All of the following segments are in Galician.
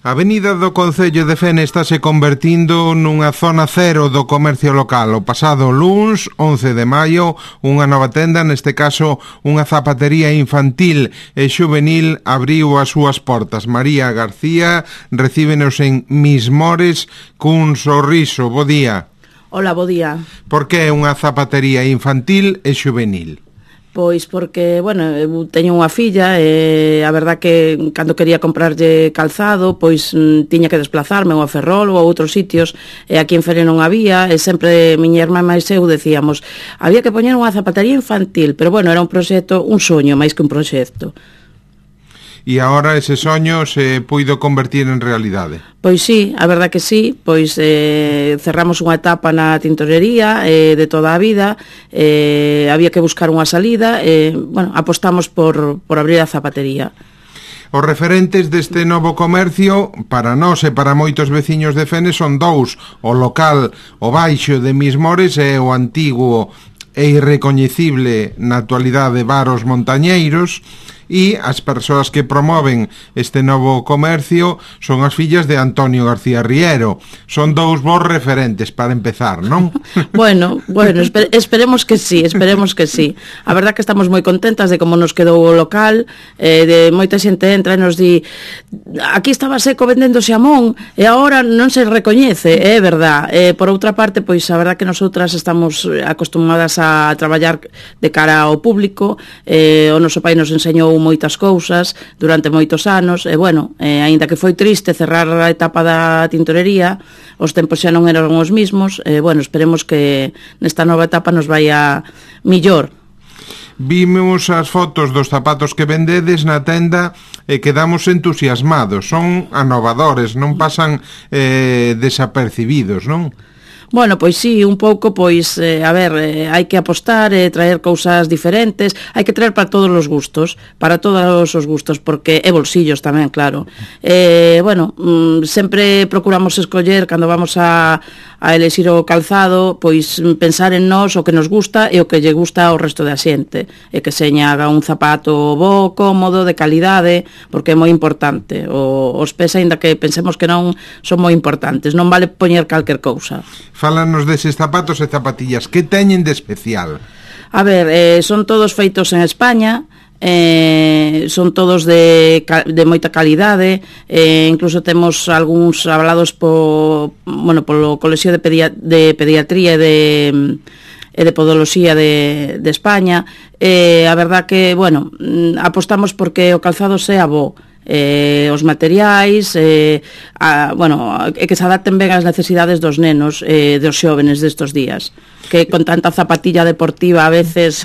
A avenida do Concello de Fene estáse convertindo nunha zona cero do comercio local. O pasado luns, 11 de maio, unha nova tenda, neste caso unha zapatería infantil e xuvenil, abriu as súas portas. María García recíbenos en Mismores cun sorriso. Bo día. Hola, bo día. Por que unha zapatería infantil e xuvenil? Pois porque, bueno, eu teño unha filla e a verdad que cando quería comprarlle calzado, pois tiña que desplazarme ou a Ferrol ou a outros sitios, e aquí en Fene non había, e sempre miña irmá máis eu decíamos, había que poñer unha zapatería infantil, pero bueno, era un proxecto, un soño máis que un proxecto. E agora ese soño se puido convertir en realidade? Pois sí, a verdad que sí, pois cerramos unha etapa na tintorería de toda a vida, había que buscar unha salida, bueno, apostamos por abrir a zapatería. Os referentes deste novo comercio, para nós e para moitos veciños de Fene, son dous: o local, o Baixo de Mismores, e o antigo e irrecoñecible na actualidade Bar Os Montañeiros. E as persoas que promoven este novo comercio son as fillas de Antonio García Riero. Son dous bons referentes para empezar, non? Bueno, esperemos que sí, esperemos que sí. A verdad que estamos moi contentas de como nos quedou o local, de moita xente entra e nos di, aquí estaba seco vendendo xamón e agora non se recoñece, é verdad. Por outra parte, pois a verdad que nosotras estamos acostumadas a traballar de cara ao público, o noso pai nos enseñou moitas cousas durante moitos anos, e bueno, aínda que foi triste cerrar a etapa da tintorería, os tempos xa non eran os mismos, bueno, esperemos que nesta nova etapa nos vaya millor. Vimos as fotos dos zapatos que vendedes na tenda e quedamos entusiasmados. Son anovadores, non pasan desapercibidos, non? Bueno, pois sí, un pouco, pois, a ver, hai que apostar, traer cousas diferentes, hai que traer para todos os gustos, para todos os gustos, porque é bolsillos tamén, claro. Bueno, sempre procuramos escoller, cando vamos a elexir o calzado, pois pensar en nós, o que nos gusta e o que lle gusta ao resto da xente, e que seña un zapato bo, cómodo, de calidade, porque é moi importante. Os pés, aínda que pensemos que non, son moi importantes, non vale poñer calquer cousa. Fálanos deses zapatos e zapatillas, que teñen de especial? A ver, son todos feitos en España, son todos de moita calidade, incluso temos algúns avalados polo Colexio de Pediatría e de Podoloxía de España. A verdad que, bueno, apostamos porque o calzado sea bo, os materiais, bueno, que se adapten ben ás necesidades dos nenos, dos xóvenes destos días, que con tanta zapatilla deportiva a veces...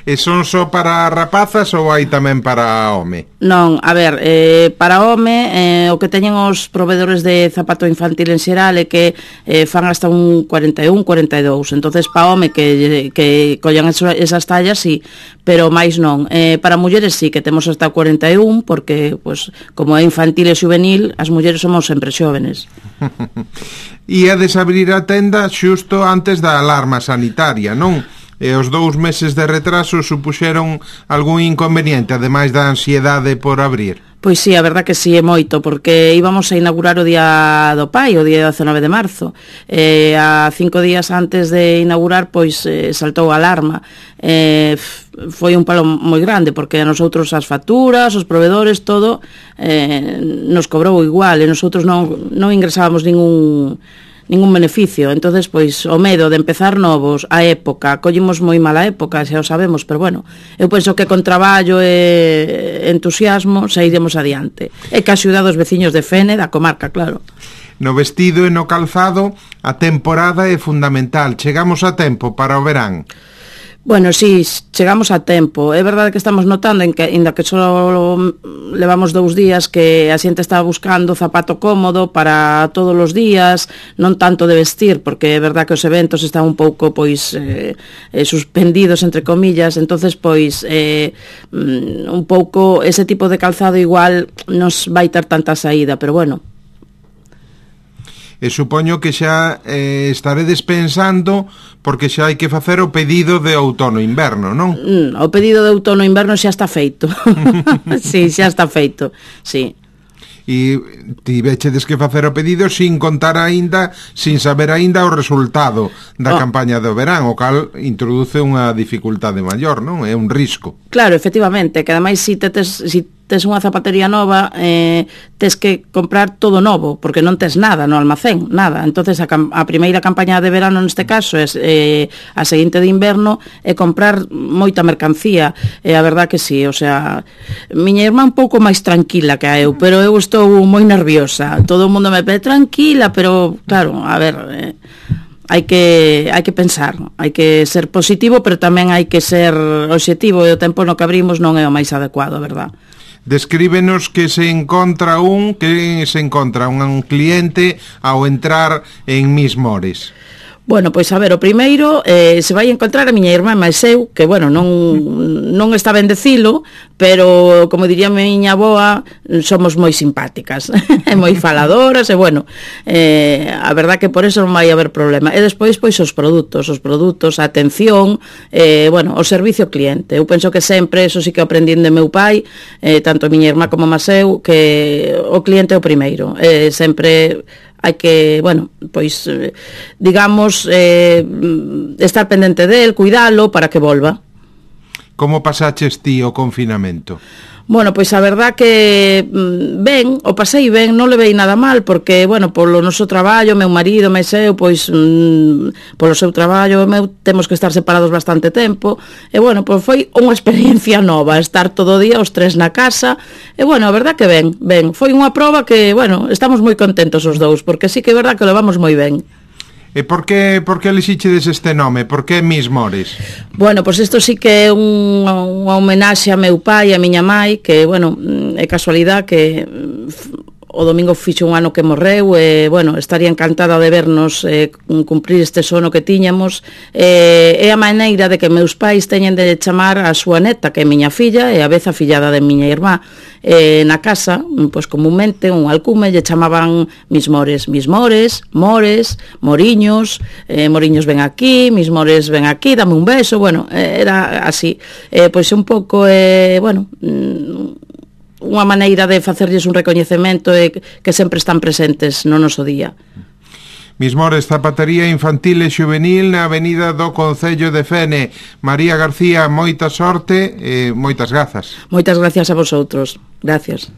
E son só para rapazas ou hai tamén para home? Non, a ver, para home, o que teñen os provedores de zapato infantil en xeral é que fan hasta un 41, 42. Entonces, para home que collan esas tallas, sí, pero máis non. Para mulleres sí, que temos hasta 41, porque, pues, como é infantil e juvenil, as mulleres somos sempre xóvenes. Iades abrir a tenda xusto antes da alarma sanitaria, non? E os 2 meses de retraso supuxeron algún inconveniente, ademais da ansiedade por abrir? Pois sí, a verdad que sí, é moito, porque íbamos a inaugurar o Día do Pai, o día 19 de marzo. A 5 días antes de inaugurar, pois saltou a alarma. Foi un palo moi grande, porque a nosotros as facturas, os provedores, todo, nos cobrou igual, e nosotros non ingresábamos ningún beneficio. Entonces, pois, o medo de empezar novos, a época, collimos moi mala época, xa o sabemos, pero bueno, eu penso que con traballo e entusiasmo sairemos adiante. E que axuda dos veciños de Fene, da comarca, claro. No vestido e no calzado, a temporada é fundamental. Chegamos a tempo para o verán. Bueno, sí, chegamos a tempo. É verdade que estamos notando, ainda que só levamos 2 días, que a xente está buscando zapato cómodo para todos os días, non tanto de vestir, porque é verdade que os eventos están un pouco, pois, suspendidos, entre comillas. Entonces, pois, un pouco ese tipo de calzado igual nos vai ter tanta saída, pero bueno. E supoño que xa estaredes pensando, porque xa hai que facer o pedido de outono-inverno, non? O pedido de outono-inverno xa está feito. Sí, xa está feito, sí. e tivechedes que facer o pedido sin contar aínda, sin saber aínda o resultado da campaña do verán, o cal introduce unha dificultade maior, non? É un risco. Claro, efectivamente, que ademais si tes unha zapatería nova, tes que comprar todo novo, porque non tes nada no almacén, nada. Entonces a primeira campaña de verano neste caso é a seguinte de inverno, é comprar moita mercancía. E a verdad que sí, o sea, miña irmá un pouco máis tranquila que a eu, pero eu estou moi nerviosa. Todo o mundo me pede tranquila, pero claro, a ver, hai que pensar, hai que ser positivo, pero tamén hai que ser obxectivo, e o tempo no que abrimos non é o máis adecuado, a verdad. Descríbenos que se encontra un cliente ao entrar en Miss Mores. Bueno, pois a ver, o primeiro se vai encontrar a miña irmá máis eu, que, bueno, non está ben decilo, pero, como diría a miña avoa, somos moi simpáticas, e moi faladoras, e, bueno, a verdad que por eso non vai haber problema. E despois, pois, os produtos, a atención, bueno, o servicio ao cliente. Eu penso que sempre, eso sí que aprendín de meu pai, tanto a miña irmá como a eu, que o cliente é o primeiro. Sempre hai que, bueno, pois, digamos, estar pendente del, cuidalo para que volva. Como pasaches ti o confinamento? Bueno, pois a verdad que ben, o pasei ben, non levei nada mal, porque, bueno, polo noso traballo, meu marido, máis eu, pois, polo seu traballo, temos que estar separados bastante tempo, e, bueno, pois foi unha experiencia nova, estar todo o día os tres na casa, e, bueno, a verdad que ben, foi unha proba que, bueno, estamos moi contentos os dous, porque sí que é verdad que o levamos moi ben. E por que elixichedes este nome? Por que Miss Mores? Bueno, pois isto sí que é unha homenaxe a meu pai e a miña mai, que, bueno, é casualidade que o domingo fixo un ano que morreu, e, bueno, estaría encantada de vernos cumprir este sono que tiñamos. É a maneira de que meus pais teñen de chamar a súa neta, que é miña filla, e a vez a fillada de miña irmá. Na casa, pois comúnmente, un alcume lle chamaban Miss Mores, Mores, Moriños, Moriños ven aquí, Miss Mores ven aquí, dame un beso, bueno, era así. Pois un pouco, bueno, unha maneira de facerlles un recoñecemento e que sempre están presentes no noso día. Miss Mores, zapatería infantil e xuvenil na avenida do Concello de Fene. María García, moita sorte e moitas grazas. Moitas gracias a vosotros. Gracias.